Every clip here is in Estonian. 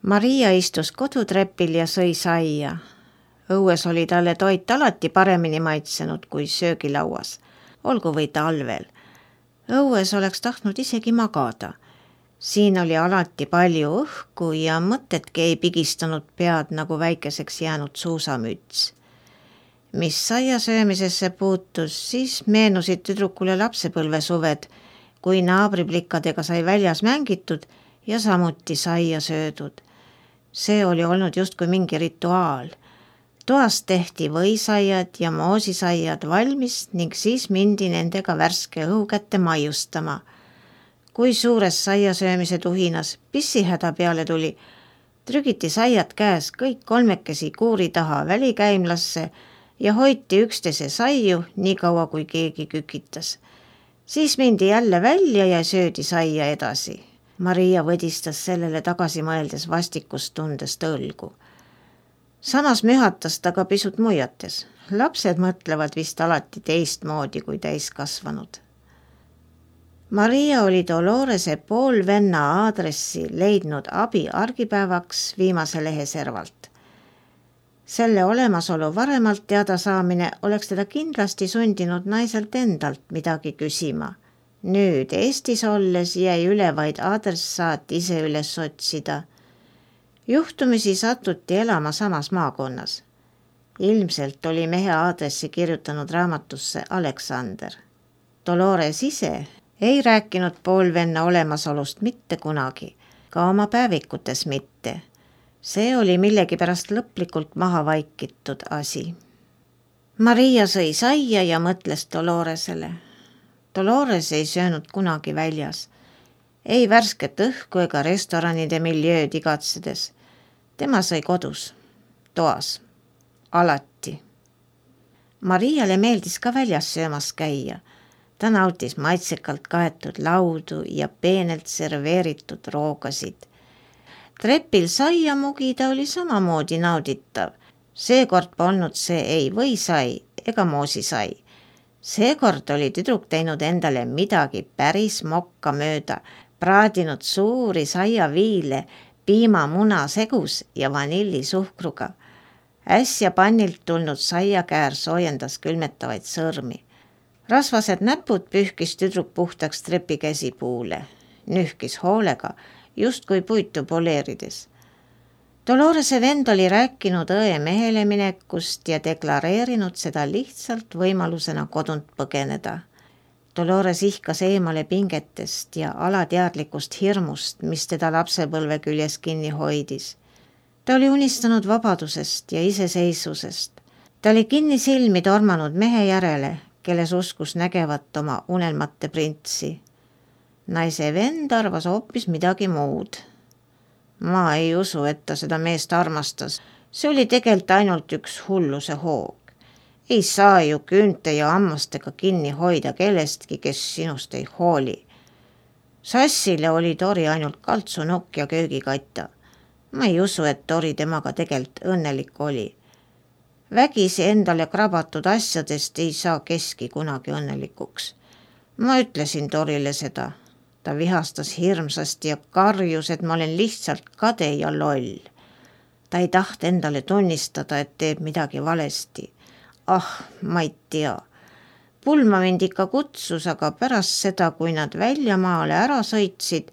Maria istus kodutrepil ja sõi saia. Õues oli talle toit alati paremini maitsenud kui söögilauas, olgu või talvel. Õues oleks tahtnud isegi magada. Siin oli alati palju õhku ja mõtedki ei pigistanud pead nagu väikeseks jäänud suusamüts. Mis saia söömisesse puutus, siis meenusid tüdrukule lapsepõlvesuved, kui naabriplikadega sai väljas mängitud ja samuti saia söödud. See oli olnud justkui mingi rituaal. Toas tehti võisaiad ja moosisaiad valmis ning siis mindi nendega värske õhu kätte maiustama. Kui suures saia söömise tuhinas pissihäda peale tuli, trügiti saiad käes kõik kolmekesi kuuri taha välikäimlasse ja hoiti üksteise saiu nii kaua, kui keegi kükitas. Siis mindi jälle välja ja söödi saia edasi. Maria võdistas sellele tagasi mõeldes vastikust tundest õlgu. Samas mühatas ta ka pisut muiates. Lapsed mõtlevad vist alati teistmoodi kui täiskasvanud. Maria oli Dolorese poolvenna aadressi leidnud abi argipäevaks viimase leheservalt. Selle olemasolu varemalt teada saamine oleks teda kindlasti sundinud naiselt endalt midagi küsima. Nüüd Eestis olles jäi üle vaid adressaat ise üles otsida. Juhtumisi satuti elama samas maakonnas. Ilmselt oli mehe aadressi kirjutanud raamatusse Aleksander. Dolores ise ei rääkinud poolvenna olemasolust mitte kunagi, ka oma päevikutes mitte. See oli millegipärast lõplikult maha vaikitud asi. Maria sõi saia ja mõtles Doloresele. Dolores ei söönud kunagi väljas. Ei värsket õhku ega restoranide miljööd igatsedes. Tema sõi kodus, toas, alati. Mariale meeldis ka väljas söömas käia. Ta nautis maitsekalt kaetud laudu ja peenelt serveeritud roogasid. Trepil saia mugida oli samamoodi nauditav. Seekord polnud see ei võisai ega moosisai. Seekord oli tüdruk teinud endale midagi päris mokka mööda, praadinud suuri saiaviile, piimamuna segus ja vanillisuhkruga. Äsja pannilt tulnud saiakäär soojendas külmetavaid sõrmi. Rasvased näpud pühkis tüdruk puhtaks trepikäsipuule. Nühkis hoolega, justkui puitu poleerides. Dolorese vend oli rääkinud õe mehele minekust ja deklareerinud seda lihtsalt võimalusena kodunt põgeneda. Dolores ihkas eemale pingetest ja alateadlikust hirmust, mis teda lapsepõlve küljes kinni hoidis. Ta oli unistanud vabadusest ja iseseisvusest. Ta oli kinni silmi tormanud mehe järele, kelles uskus nägevat oma unelmate printsi. Naise vend arvas hoopis midagi muud. Ma ei usu, et ta seda meest armastas. See oli tegelikult ainult üks hulluse hoog. Ei saa ju küünte ja hammastega kinni hoida kellestki, kes sinust ei hooli. Sassile oli Tori ainult kaltsunokk ja köögikatta. Ma ei usu, et Tori temaga tegelikult õnnelik oli. Vägisi endale krabatud asjadest ei saa keski kunagi õnnelikuks. Ma ütlesin Torile seda. Ta vihastas hirmsasti ja karjus, et ma olen lihtsalt kade ja loll. Ta ei taht endale tunnistada, et teeb midagi valesti. Ma ei tea. Pulma mind ikka kutsus, aga pärast seda, kui nad väljamaale ära sõitsid,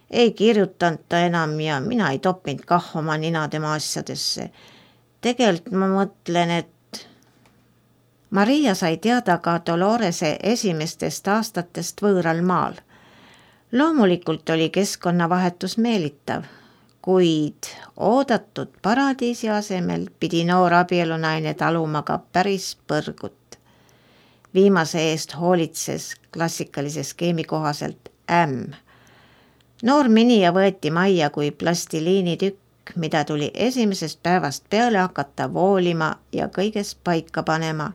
ei kirjutanud ta enam ja mina ei toppinud kah oma nina tema asjadesse. Tegelikult ma mõtlen, et Maria sai teada ka Dolorese esimestest aastatest võõral maal. Loomulikult oli keskkonnavahetus meelitav, kuid oodatud paradiisi asemel pidi noor abielunaine taluma ka päris põrgut. Viimase eest hoolitses klassikalise skeemi kohaselt ämm. Noor minija võeti majja kui plastiliinitükk, mida tuli esimesest päevast peale hakata voolima ja kõigest paika panema.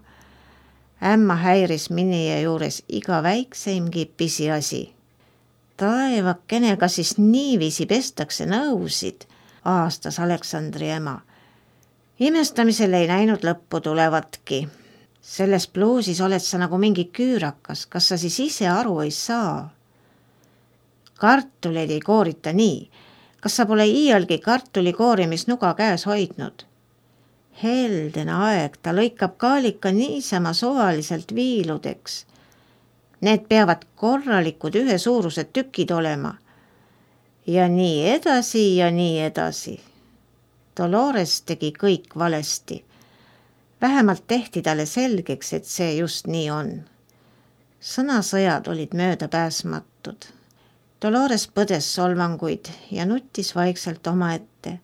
Ämma häiris minija juures iga väikseimgi pisiasi. Taevakene, kas siis niiviisi pestakse nõusid, aastas Aleksandri ema. Imestamisel ei näinud lõppu tulevatki. Selles pluusis oled sa nagu mingi küürakas, kas sa siis ise aru ei saa? Kartuleid ei koorita nii. kas sa pole iialgi kartulikooremisnuga käes hoidnud? Heldene aeg, ta lõikab kaalika niisama suvaliselt viiludeks. Need peavad korralikud ühesuurused tükid olema. Ja nii edasi ja nii edasi. Dolores tegi kõik valesti. Vähemalt tehti talle selgeks, et see just nii on. Sõnasõjad olid möödapääsmatud. Dolores põdes solvanguid ja nuttis vaikselt omaette.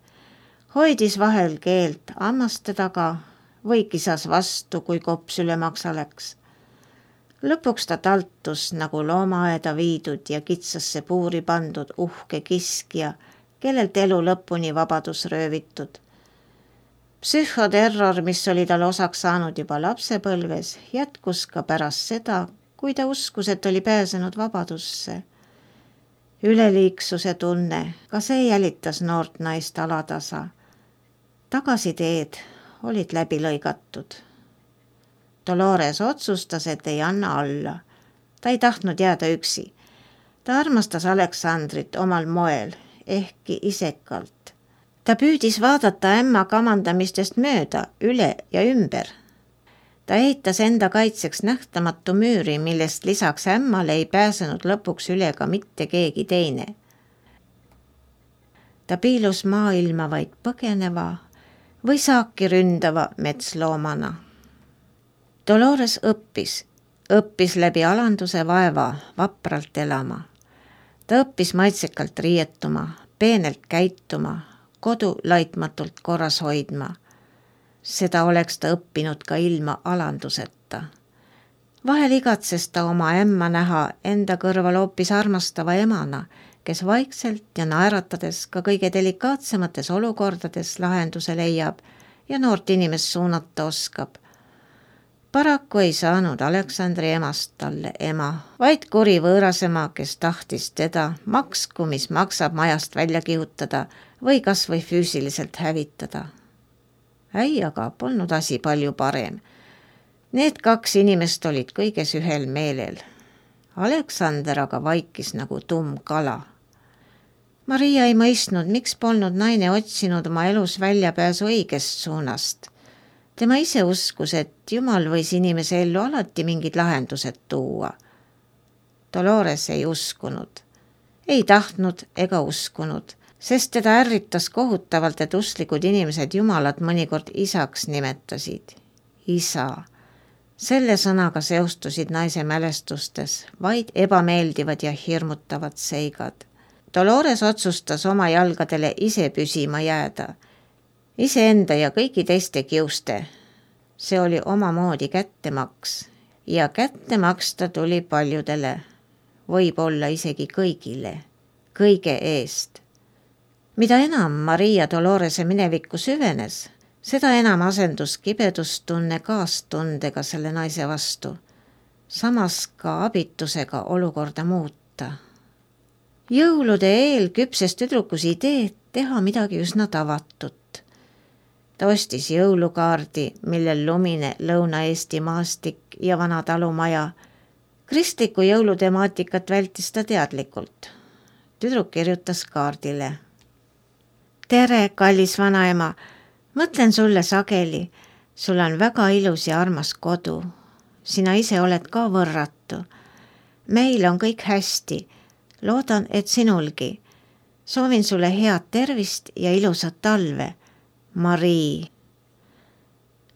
Hoidis vahel keelt hammaste taga või kisas vastu, kui kops üle maksa läks. Lõpuks ta taltus nagu loomaaeda viidud ja kitsasse puuri pandud uhke kiskja, kellelt elu lõpuni vabadus röövitud. Psühhoterror, mis oli tal osaks saanud juba lapsepõlves, jätkus ka pärast seda, kui ta uskus, et oli pääsenud vabadusse. Üleliiksuse tunne, ka see jälitas noort naist alatasa. Tagasiteed olid läbi lõigatud. Dolores otsustas, et ei anna alla. Ta ei tahtnud jääda üksi. Ta armastas Aleksandrit omal moel, ehkki isekalt. Ta püüdis vaadata ämma kamandamistest mööda, üle ja ümber. Ta ehitas enda kaitseks nähtamatu müüri, millest lisaks ämmale ei pääsenud lõpuks üle ka mitte keegi teine. Ta piilus maailma vaid põgeneva või saaki ründava metsloomana. Dolores õppis läbi alanduse vaeva vapralt elama. Ta õppis maitsekalt riietuma, peenelt käituma, kodu laitmatult korras hoidma. Seda oleks ta õppinud ka ilma alanduseta. Vahel igatses ta oma ämma näha enda kõrval hoopis armastava emana, kes vaikselt ja naeratades ka kõige delikaatsemates olukordades lahenduse leiab ja noort inimest suunata oskab. Paraku ei saanud Aleksandri emast talle ema, vaid kuri võõrasema, kes tahtis teda maksku, mis maksab majast välja kihutada või kas või füüsiliselt hävitada. Äiaga polnud asi palju parem. Need kaks inimest olid kõiges ühel meelel. Aleksander aga vaikis nagu tumm kala. Maria ei mõistnud, miks polnud naine otsinud oma elus väljapääsu õigest suunast. Tema ise uskus, et Jumal võis inimese ellu alati mingid lahendused tuua. Dolores ei uskunud. Ei tahtnud ega uskunud, sest teda ärritas kohutavalt, et usklikud inimesed Jumalat mõnikord isaks nimetasid. Isa. Selle sõnaga seostusid naise mälestustes vaid ebameeldivad ja hirmutavad seigad. Dolores otsustas oma jalgadele ise püsima jääda. Iseenda ja kõigi teiste kiuste. See oli omamoodi kättemaks ja kätte maksta tuli paljudele, võib-olla isegi kõigile, kõige eest. Mida enam Maria Dolorese minevikku süvenes, seda enam asendus kibedustunne kaastundega selle naise vastu, samas ka abitusega olukorda muuta. Jõulude eel küpses tüdrukus idee teha midagi üsna tavatut. Ta ostis jõulukaardi, millel lumine Lõuna-Eesti maastik ja vana talumaja. Kristliku jõulutemaatikat vältis ta teadlikult. Tüdruk kirjutas kaardile. Tere, kallis vanaema, mõtlen sulle sageli. Sul on väga ilus ja armas kodu. Sina ise oled ka võrratu. Meil on kõik hästi. Loodan, et sinulgi. Soovin sulle head tervist ja ilusat talve. Marii.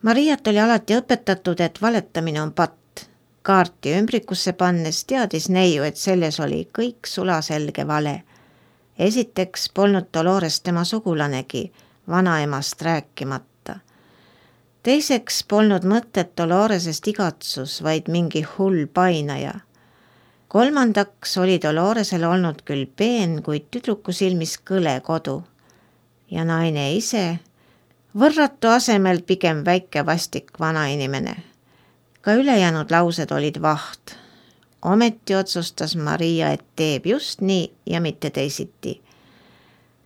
Mariat oli alati õpetatud, et valetamine on patt. Kaarti ümbrikusse pannes teadis neiu, et selles oli kõik sulaselge vale. Esiteks polnud Dolores tema sugulanegi, vanaemast rääkimata. Teiseks polnud mõtet Doloresest igatsus, vaid mingi hull painaja. Kolmandaks oli Doloresel olnud küll peen, kuid tüdruku silmis kõle kodu. Ja naine ise, võrratu asemel pigem väike vastik vanainimene. Ka ülejäänud laused olid vaht. Ometi otsustas Maria, et teeb just nii ja mitte teisiti.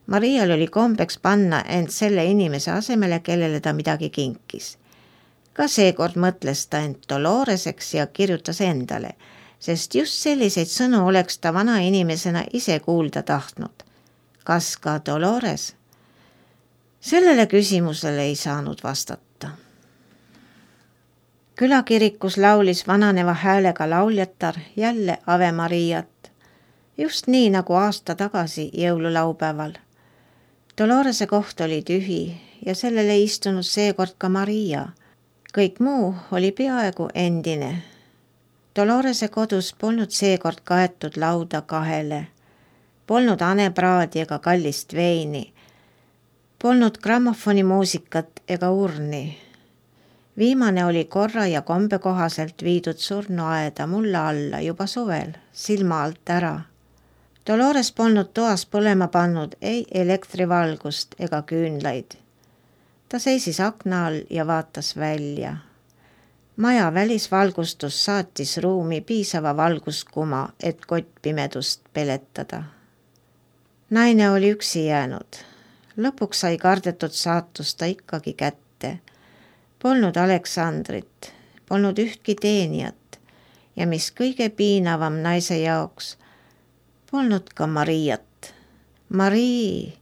Marial oli kombeks panna end selle inimese asemele, kellele ta midagi kinkis. Ka seekord mõtles ta end Doloreseks ja kirjutas endale, sest just selliseid sõnu oleks ta vana inimesena ise kuulda tahtnud. kas ka Dolores? Sellele küsimusele ei saanud vastata. Külakirikus laulis vananeva häälega lauljatar jälle Ave Mariat, just nii nagu aasta tagasi jõululaupäeval. Dolorese koht oli tühi ja sellele ei istunud seekord ka Maria. Kõik muu oli peaaegu endine. Dolorese kodus polnud seekord kaetud lauda kahele. Polnud hanepraadi ega kallist veini. Polnud grammofoni muusikat ega urni. Viimane oli korra ja kombe kohaselt viidud surnuaeda mulla alla juba suvel, silma alt ära. Dolores polnud toas põlema pannud ei elektrivalgust ega küünlaid. Ta seisis akna all ja vaatas välja. Maja välisvalgustus saatis ruumi piisava valguskuma, et kottpimedust peletada. Naine oli üksi jäänud. Lõpuks sai kardetud saatus ta ikkagi kätte. Polnud Aleksandrit, polnud ühtki teenijat ja mis kõige piinavam naise jaoks, polnud ka Mariat. Marii,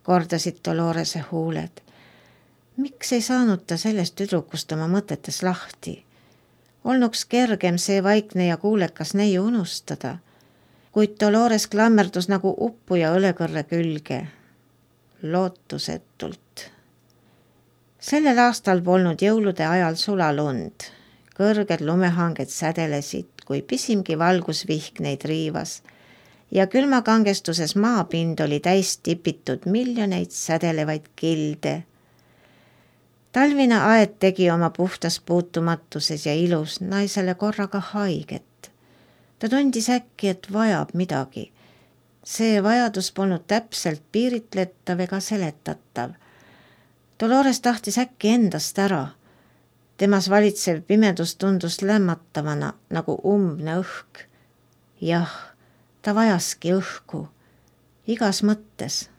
kordasid Dolorese huuled. Miks ei saanud ta sellest tüdrukust oma mõtetes lahti? Olnuks kergem see vaikne ja kuulekas neiu unustada, kuid Dolores klammerdus nagu uppuja õlekõrre külge. Lootusetult. Sellel aastal polnud jõulude ajal sulalund. Kõrged lumehanged sädelesid, kui pisimgi valgusvihk neid riivas ja külmakangestuses maapind oli täis tipitud miljoneid sädelevaid kilde. Talvine aed tegi oma puhtas puutumatuses ja ilus naisele korraga haiget. Ta tundis äkki, et vajab midagi. See vajadus polnud täpselt piiritletav ega seletatav. Dolores tahtis äkki endast ära. Temas valitsev pimedus tundus lämmatavana nagu umbne õhk. Jah, ta vajaski õhku. Igas mõttes.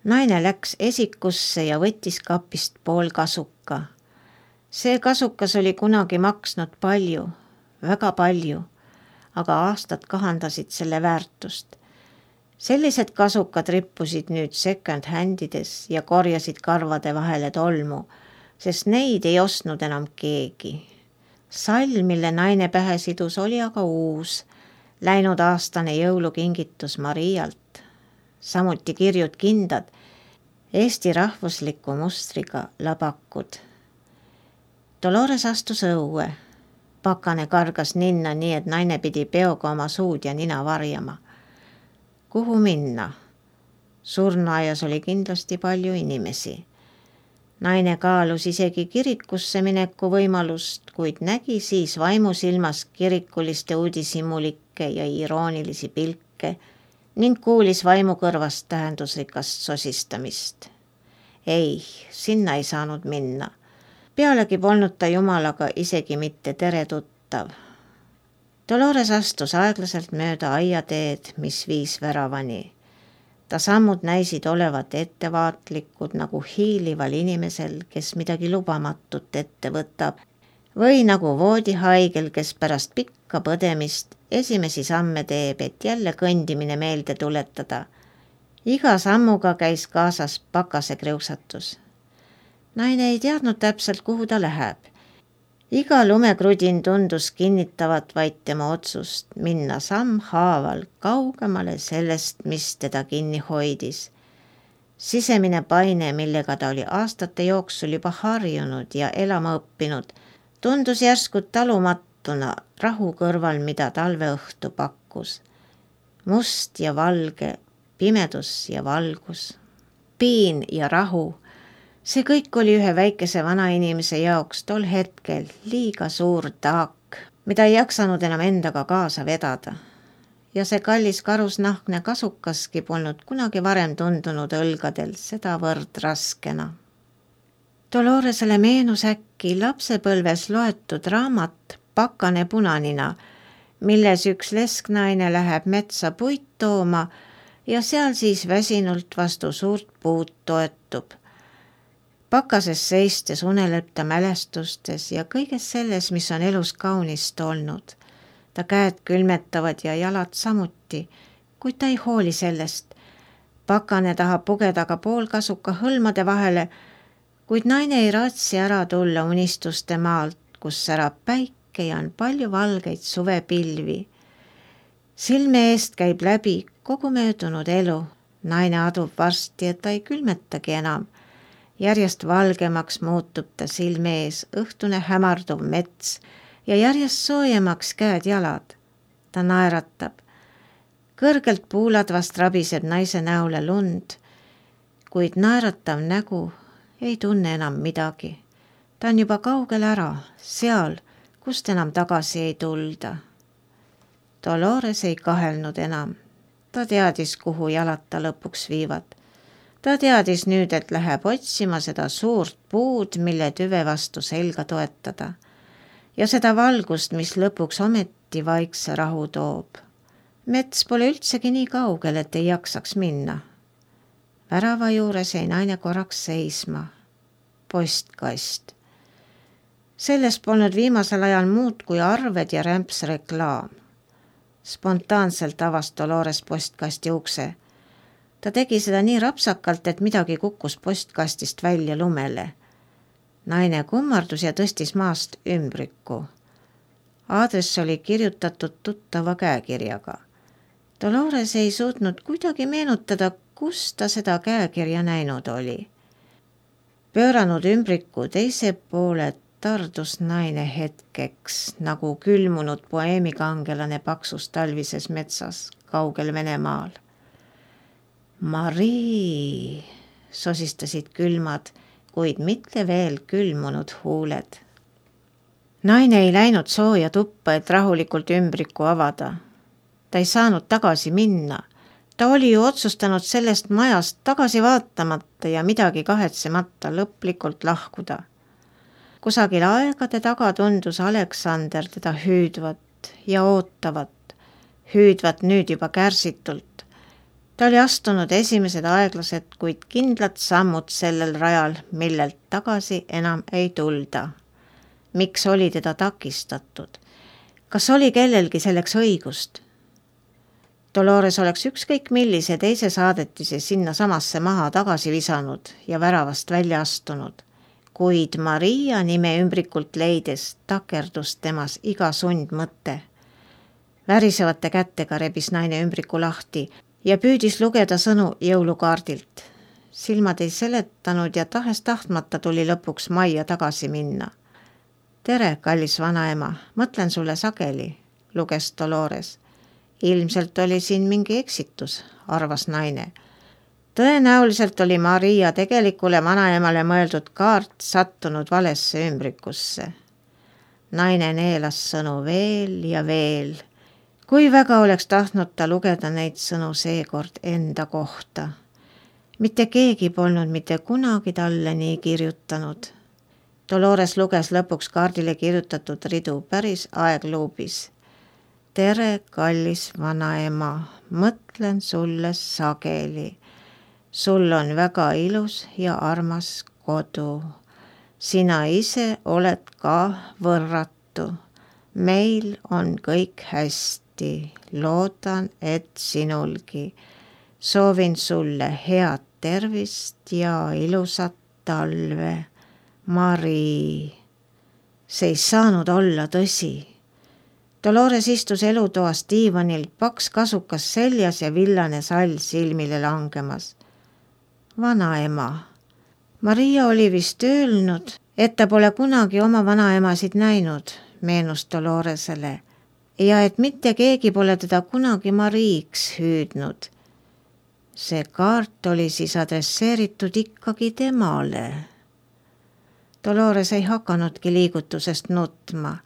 Naine läks esikusse ja võttis kapist pool kasuka. See kasukas oli kunagi maksnud palju, väga palju, aga aastad kahandasid selle väärtust. Sellised kasukad rippusid nüüd second handides ja korjasid karvade vahele tolmu, sest neid ei ostnud enam keegi. Sall, mille naine pähe sidus, oli aga uus, läinud aastane jõulukingitus Marialt. Samuti kirjud kindad, Eesti rahvusliku mustriga labakud. Dolores astus õue. Pakane kargas ninna nii, et naine pidi peoga oma suud ja nina varjama. Kuhu minna? Surnuaias oli kindlasti palju inimesi. Naine kaalus isegi kirikusse mineku võimalust, kuid nägi siis vaimusilmas kirikuliste uudishimulikke ja iroonilisi pilke ning kuulis vaimukõrvast tähendusrikast sosistamist. Ei, sinna ei saanud minna. Pealegi polnud ta Jumalaga isegi mitte tere tuttav. Dolores astus aeglaselt mööda aiateed, mis viis väravani. Ta sammud näisid olevat ettevaatlikud nagu hiilival inimesel, kes midagi lubamatut ette võtab, või nagu voodihaigel, kes pärast pikka põdemist esimesi samme teeb, et jälle kõndimine meelde tuletada. Iga sammuga käis kaasas pakase kriuksatus. Naine ei teadnud täpselt, kuhu ta läheb. Iga lumekrudin tundus kinnitavat vaid tema otsust minna samm haaval kaugemale sellest, mis teda kinni hoidis. Sisemine paine, millega ta oli aastate jooksul juba harjunud ja elama õppinud, tundus järsku talumatuna rahu kõrval, mida talveõhtu pakkus. Must ja valge, pimedus ja valgus, piin ja rahu. See kõik oli ühe väikese vanainimese jaoks tol hetkel liiga suur taak, mida ei jaksanud enam endaga kaasa vedada. Ja see kallis karusnahkne kasukaski polnud kunagi varem tundunud õlgadel sedavõrd raskena. Doloresele meenus äkki lapsepõlves loetud raamat Pakane punanina, milles üks lesknaine läheb metsa puit tooma ja seal siis väsinult vastu suurt puud toetub. Pakases seistes uneleb ta mälestustes ja kõiges selles, mis on elus kaunist olnud. Ta käed külmetavad ja jalad samuti, kuid ta ei hooli sellest. Pakane tahab pugeda ka poolkasuka hõlmade vahele, kuid naine ei raatsi ära tulla unistuste maalt, kus särab päike ja on palju valgeid suvepilvi. Silme eest käib läbi kogu möödunud elu. Naine adub varsti, et ta ei külmetagi enam. Järjest valgemaks muutub ta silme ees õhtune hämarduv mets ja järjest soojemaks käed-jalad. Ta naeratab. Kõrgelt puuladvast rabiseb naise näole lund, kuid naeratav nägu ei tunne enam midagi. Ta on juba kaugel ära, seal, kust enam tagasi ei tulda. Dolores ei kahelnud enam. Ta teadis, kuhu jalad ta lõpuks viivad. Ta teadis nüüd, et läheb otsima seda suurt puud, mille tüve vastu selga toetada. Ja seda valgust, mis lõpuks ometi vaikse rahu toob. Mets pole üldsegi nii kaugel, et ei jaksaks minna. Värava juures jäi naine korraks seisma. Postkast. Selles polnud viimasel ajal muud kui arved ja rämps reklaam. Spontaanselt avas Dolores postkasti ukse. Ta tegi seda nii rapsakalt, et midagi kukkus postkastist välja lumele. Naine kummardus ja tõstis maast ümbriku. Aadress oli kirjutatud tuttava käekirjaga. Dolores ei suutnud kuidagi meenutada, kus ta seda käekirja näinud oli. Pööranud ümbriku teise poole tardus naine hetkeks, nagu külmunud poeemikangelane paksus talvises metsas kaugel Venemaal. Marii, sosistasid külmad, kuid mitte veel külmunud huuled. Naine ei läinud sooja tuppa, et rahulikult ümbriku avada. Ta ei saanud tagasi minna. Ta oli ju otsustanud sellest majast tagasi vaatamata ja midagi kahetsemata lõplikult lahkuda. Kusagil aegade taga tundus Aleksander teda hüüdvat ja ootavat, hüüdvat nüüd juba kärsitult. Ta oli astunud esimesed aeglased, kuid kindlad sammud sellel rajal, millelt tagasi enam ei tulda. Miks oli teda takistatud? Kas oli kellelgi selleks õigust? Dolores oleks ükskõik millise teise saadetise sinna samasse maha tagasi visanud ja väravast välja astunud. Kuid Maria nime ümbrikult leides takerdus temas iga sundmõte. Värisevate kättega rebis naine ümbriku lahti ja püüdis lugeda sõnu jõulukaardilt. Silmad ei seletanud ja tahes-tahtmata tuli lõpuks majja tagasi minna. Tere, kallis vanaema, mõtlen sulle sageli, luges Dolores. Ilmselt oli siin mingi eksitus, arvas naine. Tõenäoliselt oli Maria tegelikule vanaemale mõeldud kaart sattunud valesse ümbrikusse. Naine neelas sõnu veel ja veel. Kui väga oleks tahtnud ta lugeda neid sõnu seekord enda kohta. Mitte keegi polnud mitte kunagi talle nii kirjutanud. Dolores luges lõpuks kaardile kirjutatud ridu päris aegluubis. Tere, kallis vanaema, mõtlen sulle sageli. Sul on väga ilus ja armas kodu. Sina ise oled ka võrratu. Meil on kõik hästi. Loodan, et sinulgi. Soovin sulle head tervist ja ilusat talve. Marii. See ei saanud olla tõsi. Dolores istus elutoas diivanil, paks kasukas seljas ja villane sall silmile langemas. Vanaema. Maria oli vist öelnud, et ta pole kunagi oma vanaemasid näinud, meenus Doloresele, ja et mitte keegi pole teda kunagi Mariiks hüüdnud. See kaart oli siis adresseeritud ikkagi temale. Dolores ei hakanudki liigutusest nutma.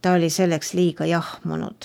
Ta oli selleks liiga jahmunud.